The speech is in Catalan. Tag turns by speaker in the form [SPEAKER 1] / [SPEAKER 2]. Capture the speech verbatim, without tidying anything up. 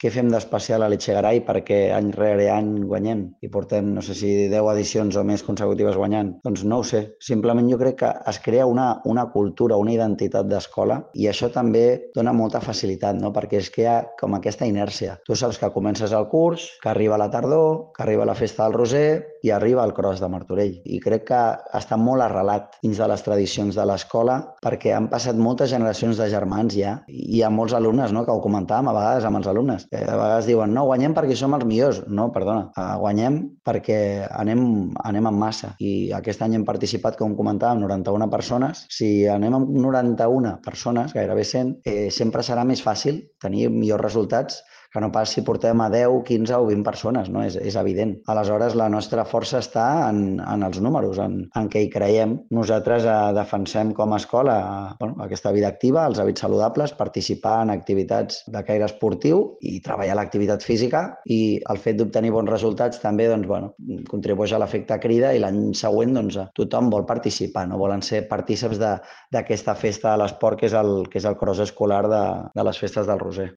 [SPEAKER 1] què fem d'especial a l'Echegaray perquè any rere any guanyem i portem, no sé si deu edicions o més consecutives guanyant? Doncs no ho sé. Simplement jo crec que es crea una, una cultura, una identitat d'escola i això també dona molta facilitat, no? Perquè és que hi ha com aquesta inèrcia. Tu saps que comences el curs, que arriba la tardor, que arriba la festa del Roser i arriba el Cross de Martorell. I crec que està molt arrelat dins de les tradicions de l'escola perquè han passat moltes generacions de germans ja i hi ha molts alumnes, no?, que ho comentàvem a vegades amb els alumnes. Eh, a vegades diuen, no, guanyem perquè som els millors. No, perdona, eh, guanyem perquè anem, anem en massa. I aquest any hem participat, com comentàvem, noranta-una persones. Si anem amb noranta-una persones, gairebé cent, eh, sempre serà més fàcil tenir millors resultats que no pas si portem a deu, quinze o vint persones, no? És, és evident. Aleshores, la nostra força està en, en els números, en, en què hi creiem. Nosaltres eh, defensem com a escola eh, bueno, aquesta vida activa, els hàbits saludables, participar en activitats de caire esportiu i treballar l'activitat física i el fet d'obtenir bons resultats també doncs, bueno, contribueix a l'efecte crida i l'any següent doncs, tothom vol participar, no volen ser partíceps d'aquesta festa de l'esport que és el, que és el cross escolar de, de les festes del Roser.